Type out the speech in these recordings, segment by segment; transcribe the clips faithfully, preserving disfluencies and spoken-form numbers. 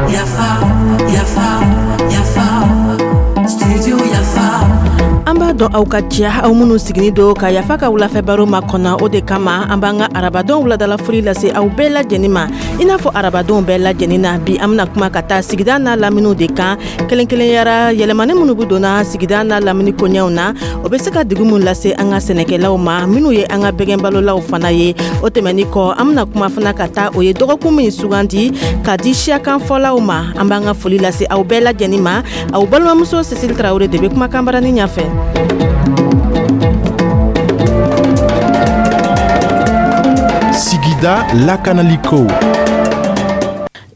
Yafa, yafa, yafa, studio Yafa. An b'a dɔn aw ka diya, aw minnu siginin don ka Yafa ka wulafɛ baro ma kɔnɔ. O de kama an b'an ka arabadon wuladalafoli lase aw bɛɛ lajɛlen ma. I n'a fɔ arabadon bɛɛ lajɛlen na, bi an bɛna kuma ka taa sigida n'a laminiw de kan, kelen kelenyara yɛlɛmani minnu bɛ donna sigida n'a lamini koɲɛw na, o bɛ se ka degun min lase an ka sɛnɛkɛlaw ma, minnu ye an ka bɛgɛnbalolaw fana ye. O tɛmɛni kɔ, an bɛna kuma fana ka taa o ye dɔgɔkun min sugandi ka di siyakanfɔlaw ma. An b'an ka foli lase aw bɛɛ lajɛlen ma. Aw balimamuso Cécile Tarawele de bɛ kumakan barani ɲɛfɛ. Sigida lakanaliko.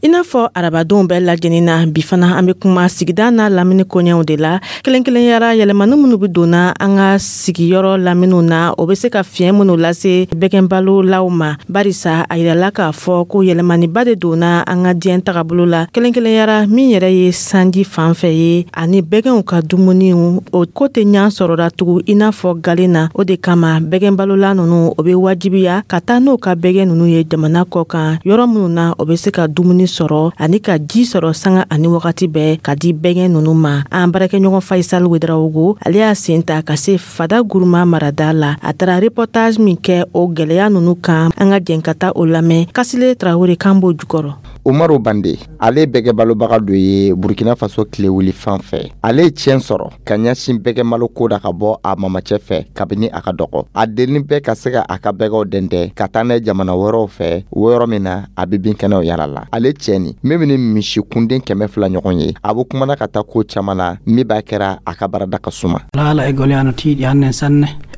I n'a fɔ arabadonw bɛɛ lajɛlen na, bi fana an bɛ kuma sigida n'a lamini koɲɛw de la, kelen kelenyara yɛlɛmani minnu bɛ donna an ka sigiyɔrɔ laminiw na, o bɛ se ka fiɲɛ minnu lase bɛgɛnbalolaw ma, barisa a yirala k'a fɔ ko yɛlɛmaniba de donna an ka diɲɛ tagabolo la, kelen kelenyara min yɛrɛ ye sanji fan fɛ ye ani bɛgɛnw ka dumuniw, o ko tɛ ɲɛ sɔrɔla tugun i n'a fɔ galen na. O de kama bɛgɛnbalola ninnu, o bɛ wajibiya ka taa n'o ka bɛgɛn ninnu ye jamana kɔ kan, yɔrɔ minnu na o bɛ se ka dumuni sɔrɔ ani ka ji sɔrɔ sanga ani wagati bɛɛ ka di bɛgɛn ninnu ma. An baarakɛɲɔgɔn Faisal Wedrawogo, ale y'a sen ta ka se Fada Guruma marada la. A taara reportage min kɛ o gwɛlɛya ninnu kan, an ka jɛn ka taa o lamɛn. Kasile Tarawele kan b'o jukɔrɔ. Umaru Bande, ale bɛgɛbalobaga dɔ ye Burkina Faso tilewuli fan fɛ. Ale ye tiɲɛ sɔrɔ ka ɲɛsin bɛgɛmalo ko da ka bɔ a mamacɛ fɛ kabini a ka dɔgɔ. A denni bɛɛ ka se ka a ka bɛgɛw dɛndɛ ka taa n'a ye jamana wɛrɛw fɛ, o yɔrɔ min na a bɛ binkɛnɛw yala la. Ale cɛ nin min bɛ ni misi kunden kɛmɛ fila ɲɔgɔn ye, a bɛ kumana ka taa ko caman na min b'a kɛra a ka baarada ka suma.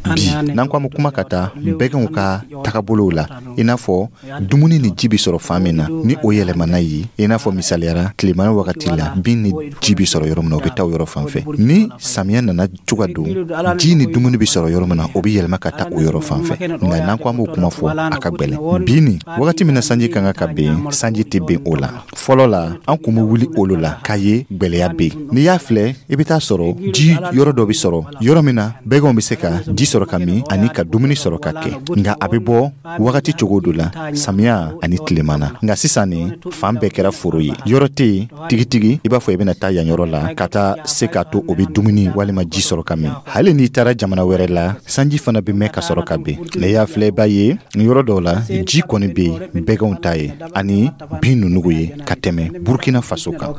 Bi n'an ko an bɛ kuma ka taa bɛgɛnw ka tagabolow la, i n'a fɔ dumuni ni ji bɛ sɔrɔ fan min na, ni o yɛlɛmana ye, i n'a fɔ misaliyara tilemana wagati la, bin ni ji bɛ sɔrɔ yɔrɔ min na, o bɛ taa o yɔrɔ fan fɛ. Ni samiya nana cogo don, ji ni dumuni bɛ sɔrɔ yɔrɔ min na, o bɛ yɛlɛma ka taa o yɔrɔ fan fɛ. Nka n'an ko an b'o kuma fɔ, a ka gɛlɛn. Bi ni wagati min na sanji kan ka ben, sanji tɛ ben o la. Fɔlɔ la, an kun bɛ wuli olu la k'a ye gwɛlɛya bɛ yen. N'i y'a filɛ, i bɛ taa sɔrɔ ji yɔrɔ dɔ bɛ sɔrɔ yɔrɔ min na bɛgɛnw bɛ se ka ji sɔrɔ ka min ani ka dumuni sɔrɔ ka kɛ, nka a bɛ bɔ wagati cogo dɔ la, samiya ani tilema na. Nka sisan nin fan bɛɛ kɛra foro ye, yɔrɔ tɛ yen tigitigi i b'a fɔ i bɛna taa yan yɔrɔ la ka taa se k'a to o bɛ dumuni walima ji sɔrɔ ka min. Hali n'i taara jamana wɛrɛ la, sanji fana bɛ mɛn ka sɔrɔ ka ben. N'i y'a filɛ, i b'a ye yɔrɔ dɔw la ji kɔni bɛ yen bɛgɛnw ta ye ani bin ninnu ye ka tɛmɛ Burkina Faso kan.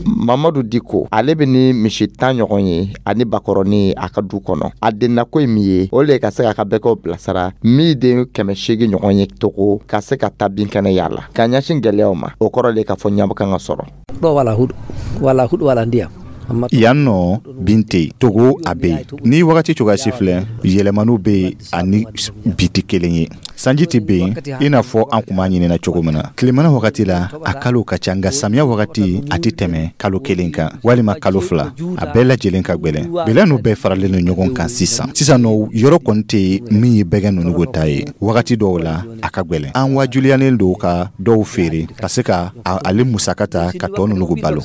Mamadu Diko, ale bɛ ni misi tan ɲɔgɔn ye ani bakɔrɔni a ka du kɔnɔ. A dennako ye min ye, o le ka se k'a ka bɛgɛw bilasira min den kɛmɛ seegin ɲɔgɔn ye togo ka se ka taa binkɛnɛ yaala ka ɲɛsin gɛlɛyaw ma. O kɔrɔ le k'a fɔ ɲɛbɔ kan ka sɔrɔ. Yan nɔ bin tɛ yen, Togo a bɛ yen. Ni wagati cogoya si filɛ, yɛlɛmaniw bɛ yen ani bi tɛ kelen ye. Sanji tɛ ben i n'a fɔ an kun b'a ɲinina cogo min na. Tilemana wagati la, a kalo ka ca, nka samiya wagati a tɛ tɛmɛ kalo kelen kan walima kalo fila. A bɛɛ lajɛlen ka gwɛlɛn. Gwɛlɛya n'u bɛɛ faralen don ɲɔgɔn kan sisan. Sisan nɔ, yɔrɔ kɔni tɛ yen min ye bɛgɛn ninnu ta ye. Wagati dɔw la a ka gwɛlɛn, an wajuliyalen don ka dɔw feere ka se ka ale musaka ta ka tɔ ninnu balo.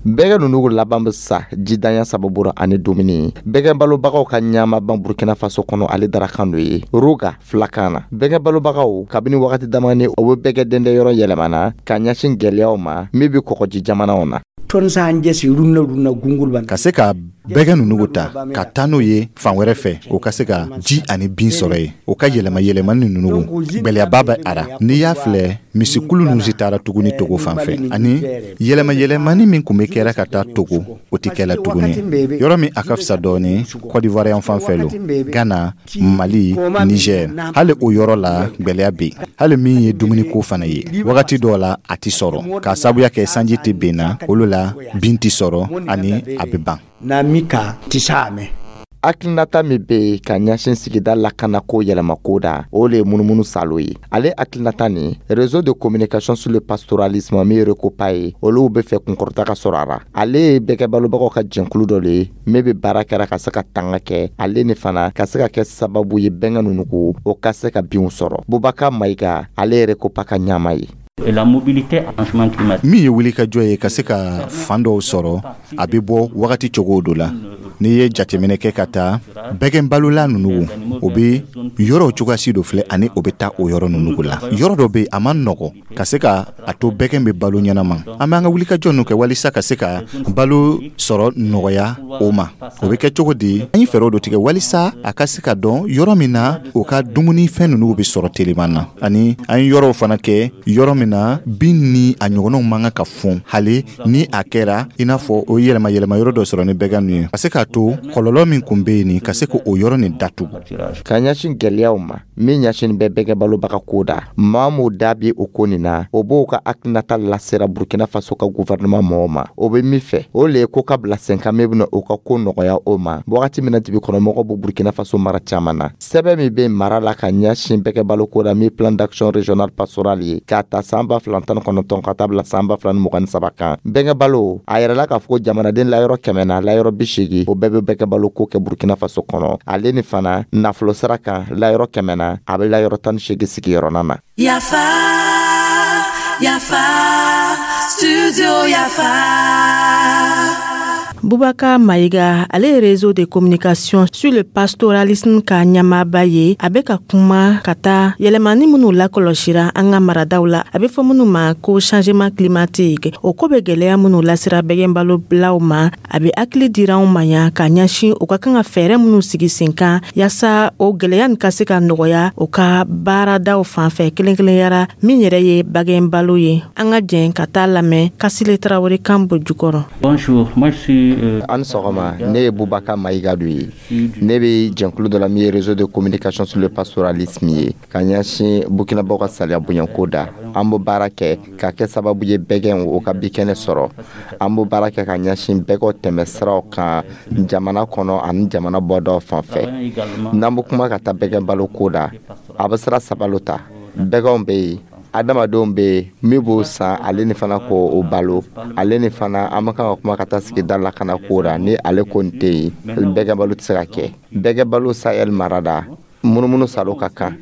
Bɛgɛ ninnu laban bɛ sa jidanya sababu ra ani dumuni. Bɛgɛ balobagaw ka ɲama ban Burkina Faso kɔnɔ, ale darakan dɔ ye roga filakan na. Bɛgɛ balobagaw kabini wagati damani, o bɛ bɛgɛ dɛndɛ yɔrɔ yɛlɛmana ka ɲɛsin gɛlɛyaw ma min bɛ kɔgɔji jamanaw na. Ka se ka bɛgɛ ninnu ta ka taa n'o ye fan wɛrɛ fɛ, o ka se ka ji ani bin sɔrɔ yen, o ka yɛlɛma yɛlɛmani ninnu, gwɛlɛyaba bɛ a ra. N'i y'a filɛ, misikulu ninnu si taara tuguni Togo fan fɛ, ani yɛlɛma yɛlɛmani min kun bɛ kɛra ka taa Togo, o tɛ kɛla tuguni. Yɔrɔ min a ka fisa dɔɔni, Côte d'Ivoire yan fan fɛ lo, Ghana, Mali, Niger, hali o yɔrɔ la gwɛlɛya bɛ yen. Hali min ye dumuniko fana ye, wagati dɔw la a tɛ sɔrɔ k'a sababuya kɛ sanji tɛ ben na, olu la bin tɛ sɔrɔ ani a bɛ ban. Hakilinata min bɛ yen ka ɲɛsin sigida lakanako yɛlɛmako da, o le ye munumunu salo ye. Ale hakilinata nin, Réseau de communication sur le pastoralisme min ye RECOPA ye, olu bɛ fɛ kunkɔrɔta ka sɔrɔ a ra. Ale ye bɛgɛbalobagaw ka jɛnkulu dɔ le ye min bɛ baara kɛra ka se ka tanga kɛ, ale ni fana ka se ka kɛ sababu ye bɛnkɛ ninnu ko o ka se ka binw sɔrɔ. Bubaka Mayiga, ale ye RECOPA ka ɲama ye. La mobilité changement climatique. Min ye wulikajɔ ye ka se ka fan dɔw sɔrɔ, a bɛ bɔ wagati cogo dɔ la. N'i ye jateminɛ kɛ ka taa bɛgɛn balola ninnu, o bɛ yɔrɔ cogoyasi dɔ filɛ, ani o bɛ taa o yɔrɔ ninnu la. Yɔrɔ dɔ bɛ yen, a ma nɔgɔ ka se ka a to bɛgɛn bɛ balo ɲɛnama. An b'an ka wulikajɔ ninnu kɛ walisa ka se ka balo sɔrɔ nɔgɔya o ma. O bɛ kɛ cogo di? An ye fɛɛrɛw dɔ tigɛ walisa a ka se ka dɔn yɔrɔ min na o ka dumunifɛn ninnu bɛ sɔrɔ teliman na, ani an ye yɔrɔw fana kɛ yɔrɔ min na bin ni a ɲɔgɔnnaw man kan ka fɔn, hali ni a kɛra i n'a fɔ o yɛlɛma yɛlɛma yɔrɔ dɔ sɔrɔ ni bɛgɛn ninnu ye, ka se k'a to kɔlɔlɔ min kun bɛ yen nin, ka se k'o yɔrɔ nin datugu. Ka ɲɛsin gɛlɛyaw ma min ɲɛsin bɛ bɛgɛ balobaga ko da, maa m'o da bi o ko nin na, o b'o ka hakilinata lasera Burkina Faso ka gouvernement mɔgɔw ma. O bɛ min fɛ, o le ye ko ka bila sen kan min bɛna o ka ko nɔgɔya o ma wagati min na dibi kɔnɔmɔgɔw bɛ Burkina Faso mara caman na. Sɛbɛn min bɛ mara la ka ɲɛsin bɛgɛ baloko la, min plan d'action régional pastoral ye, k'a ta san ba fila tan ni kɔnɔntɔn ka taa bila san ba fila ni mugan ni saba kan, bɛgɛ balo a yɛrɛla k'a fɔ ko jamanaden layɔrɔ kɛmɛ na, layɔrɔ bi seegin, o bɛɛ bɛ bɛgɛ balo ko kɛ Burkina Faso kɔnɔ. Ale ni fana nafolo sira kan, layɔrɔ kɛmɛ na, a bɛ layɔrɔ tan ni seegin sigiyɔrɔna na. Yafa, Yafa, Studio Yafa. Bubaka Mayiga, ale ye Réseau de communication sur le pastoralisme ka ɲɛmaaba ye. A bɛ ka kuma ka taa yɛlɛmani minnu lakɔlɔsira an ka maradaw la, a bɛ fɔ minnu ma ko changement climatique, o ko bɛ gwɛlɛya minnu lasira bɛgɛnbalobulaw ma. A bɛ hakili dira anw ma yan ka ɲɛsin u ka kan ka fɛɛrɛ minnu sigi sen kan yaasa o gwɛlɛya nin ka se ka nɔgɔya o ka baaradaw fan fɛ, kelen kelenyara min yɛrɛ ye bagɛnbalo ye. An ka jɛn ka taa lamɛn Kasile Tarawele kan bɔ jukɔrɔ. Bonjour, moi je suis An sɔgɔma, ne ye Bubaka Mayiga do ye. Ne bɛ jɛnkulu dɔ la min ye Réseau de communication sur le pastoralisme ye, ka ɲɛsin Burkinabaw ka saliya bonyanko da. An b'o baara kɛ ka kɛ sababu ye bɛgɛn o ka bikɛnɛ sɔrɔ. An b'o baara kɛ ka ɲɛsin bɛgɛw tɛmɛ siraw kan jamana kɔnɔ ani jamana bɔdaw fan fɛ. N'an bɛ kuma ka taa bɛgɛn balo ko da, a bɛ sira saba lo ta: bɛgɛnw bɛ yen, adamadenw bɛ yen min b'o san, ale ni fana ko o balo, ale ni fana an bɛ kan ka kuma ka taa sigida lakana ko la. Ni ale ko nin tɛ yen, bɛgɛ balo tɛ se ka kɛ. Bɛgɛ balo Sahel mara da, munumunu salo ka kan.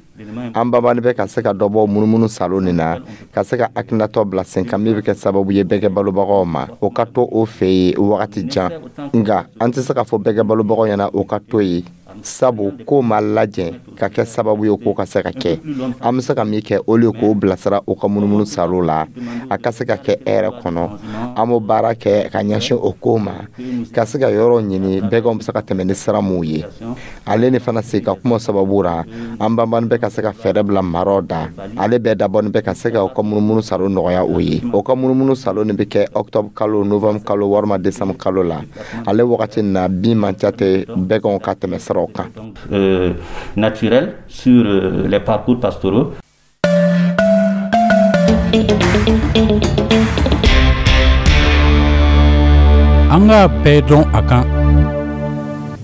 An banbani bɛ ka se ka dɔ bɔ munumunu salo nin na, ka se ka hakilinatɔ bila sen kan min bɛ kɛ sababu ye bɛgɛ balobagaw ma, o ka to o fɛ yen wagati jan. Nka an tɛ se k'a fɔ bɛgɛ balobagaw ɲɛna o ka to yen, sabu ko ma lajɛ ka kɛ sababu ye k'o ka se ka kɛ. An bɛ se ka min kɛ, o le k'o bilasira o ka munumunu salo la, a ka se ka kɛ hɛrɛ kɔnɔ. An b'o baara kɛ ka ɲɛsin o ko ma, ka se ka yɔrɔ ɲini bɛgɛnw bɛ se ka tɛmɛ ni sira mun ye. Ale ni fana sigi ka kuma sababu ra, an banbani bɛ ka se ka fɛɛrɛ bila maraw da, ale bɛɛ dabɔni bɛ ka se ka o ka munumunu salo nɔgɔya o ye. O ka munumunu salo nin bɛ kɛ octobre kalo, novembre kalo walima décembre kalo la. Ale wagati nin na, bin man ca tɛ bɛgɛnw ka tɛmɛ siraw kan. Euh, naturel sur euh, les parcours pastoraux. An k'a bɛɛ dɔn a kan.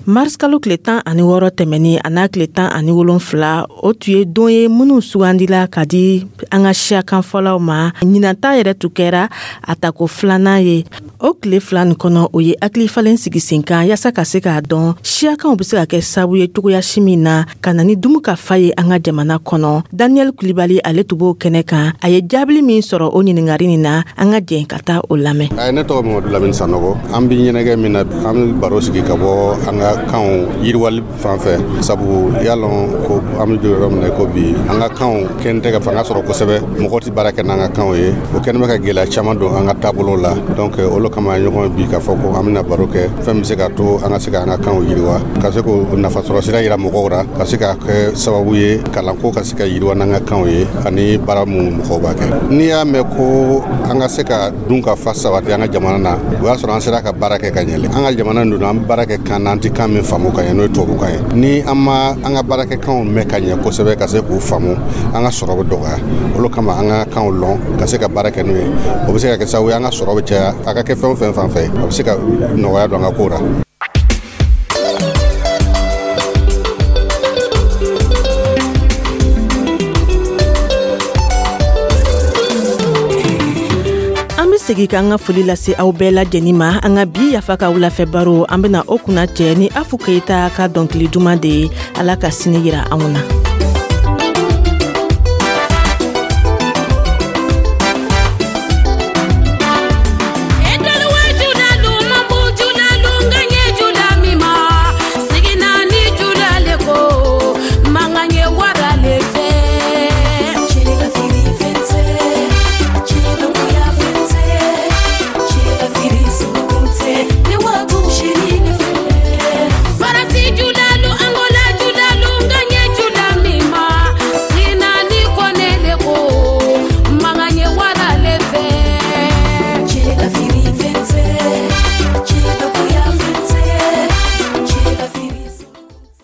Mars kalo tile tan ani wɔɔrɔ tɛmɛni a n'a tile tan ani wolonfila, o tun ye don ye minnu sugandila ka di an ka siyakanfɔlaw ma. Ɲinanta yɛrɛ tun kɛra a tako filanan ye. O tile fila nin kɔnɔ, o ye hakilifalen sigi sen kan yaasa ka se k'a dɔn siyakanw bɛ se ka kɛ sababu ye cogoya si min na ka na ni dumu ka fa ye an ka jamana kɔnɔ. Daniel Kulibali, ale tun b'o kɛnɛ kan. A ye jaabili min sɔrɔ o ɲininkali nin na, an ka jɛn ka taa o lamɛn. Ne tɔgɔ Mamadu Lamini Sanɔgɔ. An bɛ ɲɛnajɛ min na, an bɛ baro sigi ka bɔ an ka kanw yiriwali fan fɛ, sabu y'a lɔn ko an bɛ don yɔrɔ min na ko bi, an ka kanw kɛn tɛ ka fanga sɔrɔ kosɛbɛ. Mɔgɔ tɛ baara kɛ n'an ka kanw ye. O kɛlen bɛ ka gɛlɛya caman don an ka taabolo la. Donc olu kama ɲɔgɔn bi k'a fɔ ko an bɛna baro kɛ fɛn min bɛ se ka to an ka se ka an ka kanw yiriwa, ka se k'o nafa sɔrɔ sira yira mɔgɔw la, ka se ka kɛ sababu ye kalanko ka se ka yiriwa n'an ka kanw ye, ani baara mun mɔgɔw b'a kɛ. N'i y'a mɛn ko an ka se ka dun ka fa sabati an ka jamana na, o y'a sɔrɔ an sera ka baara kɛ ka ɲɛ. An ka jamana dun, an bɛ baara kɛ kan na, an tɛ kan min faamu ka ɲɛ, n'o ye tubabukan ye. Ni an ma an ka baarakɛkanw mɛn ka ɲɛ kosɛbɛ ka se k'u faamu, an ka sɔrɔ bɛ dɔgɔya. Olu kama an ka kanw lɔn ka se ka baara kɛ n'u ye, o bɛ se ka kɛ sababu ye an ka sɔrɔ bɛ caya, a ka kɛ fɛn o fɛn fan fɛ, a bɛ se ka nɔgɔya don an ka kow la. Segi k'an ka foli lase aw bɛɛ lajɛlen ma. An ka bi Yafa ka wulafɛ baro, an bena o kunna cɛ ni Afu Keyita ka dɔnkili duman de ye. Ala ka sini yira anw na.